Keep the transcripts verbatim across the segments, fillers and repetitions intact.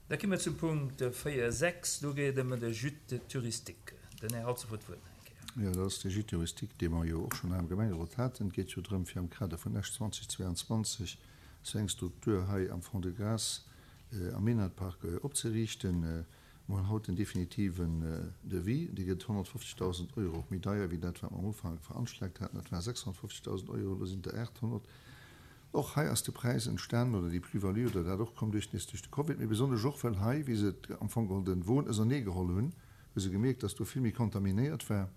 Da komme mir zum Punkt véier sechs. Do geet et ëm de Gîte touristique. Den Här Halsdorf huet d'Wuert nach eng Kéier. Jo, dat ass de Gîte touristique, dee mer jo och schonn hei am Gemengerot haten. Et geet jo drëm, fir am Kader vun Esch zweitausendzweiundzwanzeg esou eng Struktur hei am Fond-de-Gras am Minett-Park opzeriichten. Mer hunn haut den definitiven Devis. Dee gëtt honnertfofzegdausend Euro méi deier wéi dat, wat mer am Ufank veranschlagt haten. Dat waren sechshonnertfofzegdausend Euro, elo sinn et der aathonnert. Och hei ass de Präis entstanen, oder déi Plus-value oder dat och komm duerch nees duerch de Covid, mee besonnesch och well hei, wéi se am Fong geholl den Won auserneegeholl hunn, hu se gemierkt, dass do vill méi kontaminéiert war.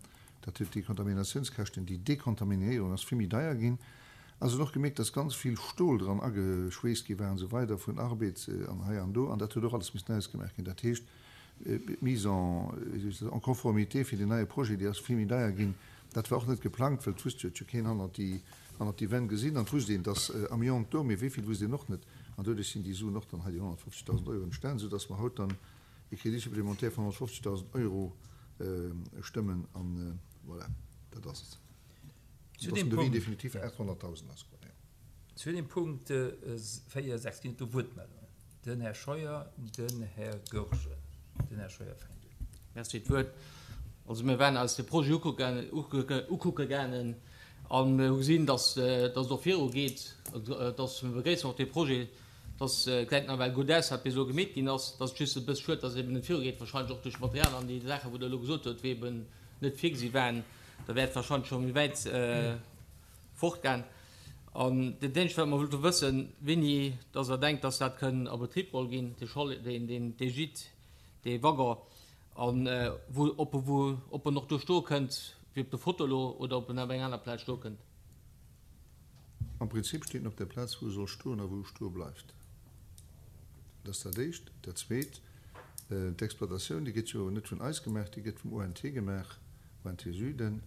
Dat huet déi Kontaminatiounskäschten, déi Dekontaminéierung ass vill méi deier ginn. A se hunn och gemierkt, dass ganz vill Stol dran ageschweesst gi war an esou weider vun Arbed an hei an do, an dat huet och alles missen ausgemaach ginn. Dat heescht, d'Mise en, wéi soll ech soen, en conformité fir deen neie Projet, déi ass vill méi deier ginn. Dat war och net geplangt, well et wusst jo, et huet jo keen hannert déi, hannert déi Wänn gesinn an et wusst een, dass Amiante do, mee wéi vill wusst een och net. An doduerch sinn déi Suen och dann hei, déi honnertfofzegdausend Euro, entstan, soudass mer haut dann e Crédit supplémentaire vun honnertfofzegdausend Euro stëmmen. An voilà, dat ass et. Zu Dass deem den Devis Punkt, definitiv aathonnertdausend ass. zu deem Punkt véier, sechs ginn et do Wuertmeldungen. Den Här Scheuer, den Här Goergen. Den Här Scheuer fänkt un. Merci fir d'Wuert. Also mir waren eis de Projet ukucke gaangen a mir hu gesinn, dass et och virugeet, dass mir begréissen och dee Projet, dass gesäit nawell gutt aus, wat bis elo gemeet ginn ass. Et ass just e bësse schued, dass et eben net virugeet, wahrscheinlech och duerch d'Material an déi Saachen, wou Der elo gesot hutt, wéi eben net virgesi waren. Da wär et wahrscheinlech scho méi wäit fortgaang. An dat eenzegt, wat mer wëllte wëssen, wéini dass Der denkt, dass dat kënn a Betrib geholl ginn, dee Chalet, deen, deen, dee Gîte, dee Waggon, a wou, ob e wou, ob en och do stoe kënnt, wéi op der Foto elo, oder ob en op eng aner Plaz stoe kënnt. Am Prinzip steet en op der Plaz, wou e soll stoen a wou e stoe bleift. Dat ass dat Éischt. Dat Zweet, d'Exploitatioun, déi gëtt jo net vun eis gemaach, déi gëtt vum O N T gemaach, O N T Süden.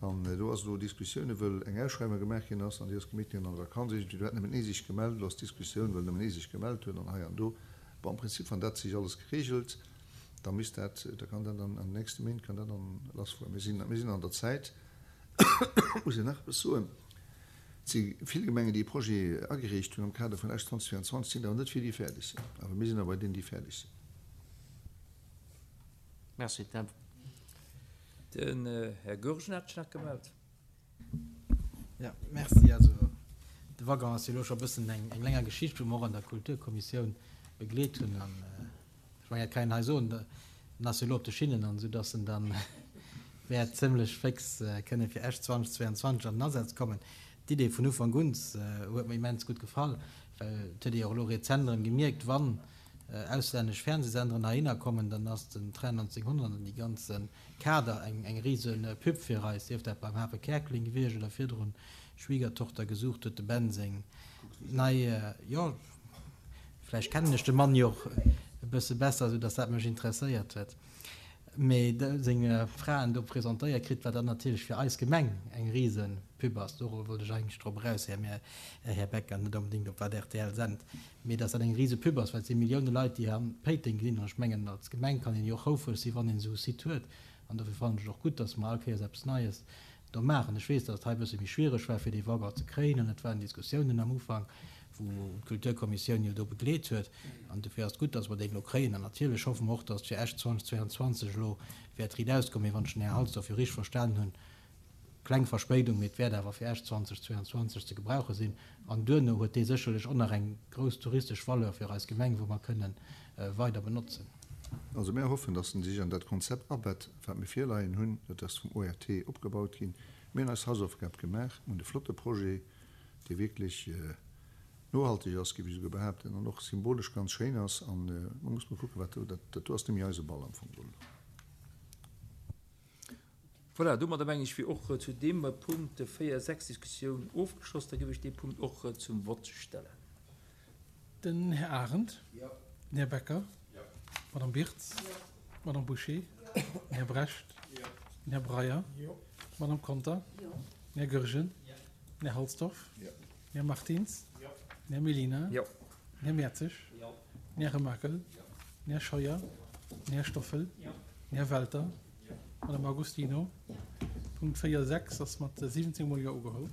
An do ass elo Diskussioune, wëll eng Ausschreiwung gemaach ginn ass an déi ass gemeet ginn an der Vakanz. Iergendwéi, do hat nëmmen ee sech gemellt. Elo ass d'Diskussioun, wëll nëmmen ee sech gemellt huet an hei an do. Bon, am Prinzip, wann dat sech alles geregelt, da misst dat, da kann dat an, an den nächste Méint kann dat dann lassfueren. Mir sinn, mir sinn an der Zäit, muss een nach eppes soen, et si vill Gemengen, déi e Projet agereecht hunn am Kader vun Esch zweitausendzweiundzwanzeg, sinn awer net vill, déi fäerdeg sinn. Awer mir sinn awer bei deenen, déi fäerdeg sinn. Merci. Den Här Goergen hat sech nach gemellt. Ja, merci. Also de Waggon ass jo elo scho e bëssen eng, eng länger Geschicht, wou mer och an der Kulturkommissioun begleet hunn. An ech mengen, dat kann een hei soen, en ass jo elo op de Schinnen, an esou dass en dann wäert zimlech fix kënne fir Esch zweitausendzweiundzwanzeg an den Asaz kommen. D'Idee vun Ufank un huet mir immens gutt gefall, well et huet ee jo och elo rezent erëm gemierkt, wann auslännesch Fernsehsenderen heihinner kommen, dann ass den Train neunzehnhundert an déi ganze Kader eng, eng riese Pub fir eis, sief dat beim Hafe Käerkling gewiescht oder virdrun Schwiegertochter gesucht huet de Ben seng nei, jo, vläicht kennen ech de Mann jo och e bësse besser, sou dass dat mech interesséiert huet, mee seng Fraen do presentéiert kritt, wat dann natierlech fir eis Gemeng eng riese Pub ass. Do wollt ech eigentlech drop eraus, Här Mä, Här Becker, net onbedéngt op wat R T L sent, mee dass dat eng riese Pub ass, well et si Millioune Leit, déi an Péiteng ginn. An ech mengen, als Gemeng kann een jo och houfreg sinn, wann een esou e Site huet. An dofir fannen ech et och gutt, dass mer all Kéiers eppes Neies do maachen. Ech weess, dass et hei e bësse méi schwiereg war, fir dee Waggon ze kréien, an et waren Diskussiounen am Ufank, wou d'Kulturkommissioun jo do begleet huet. An dofir ass et gutt, dass mer deen elo kréien. An natierlech hoffe mer och, dass et fir Esch zweitausendzweiundzwanzeg elo wäert riit auskommen. Mee wann ech den Här Halsdorf jo richteg verstanen hunn, kleng Verspéidung, mee et wäert awer fir Esch zweitausendzweiundzwanzeg ze gebrauche sinn. An duerno huet dee sécherlech och nach eng grouss touristesch Valeur fir eis Gemeng, wou mer kënnen weider benotzen. Also mir hoffen, dass en sech an dat Konzept abett, wat mir virleien hunn. Dat ass vum O R T opgebaut ginn. Mir hunn eis Hausaufgab gemaach, hunn e flotte Projet, dee wierklech nohalteg ass, géif ech esouguer behaapten, an och symbolesch ganz schéin ass. An da muss mer kucken, wat do, dat, dat do ass net méi eise Ball am Fong geholl. Voilà, domadder meng ech wier och zu deem Punkt véier sechs Diskussioun ofgeschloss. Da géif ech dee Punkt och zum Vott stellen. Den Här Arendt. Jo. Den Här Becker. Jo. D'Madame Birtz. Jo. D'Madame Bouché. Jo. Den Här Brecht. Jo. Den Här Breyer. Jo. D'Madame Conter. Jo. Den Här Goergen. Jo. Den Här Halsdorf. Jo. Den Här Martins. Jo. Den Här Mellina. Jo. Den Här Mertzig. Jo. Den Här Remakel. Jo. Den Här Scheuer. Den Här Stoffel. Jo. Den Här Welter. Madame Agostino. Punkt véier sechs ass mat siwwenzéng mol Jo ugeholl.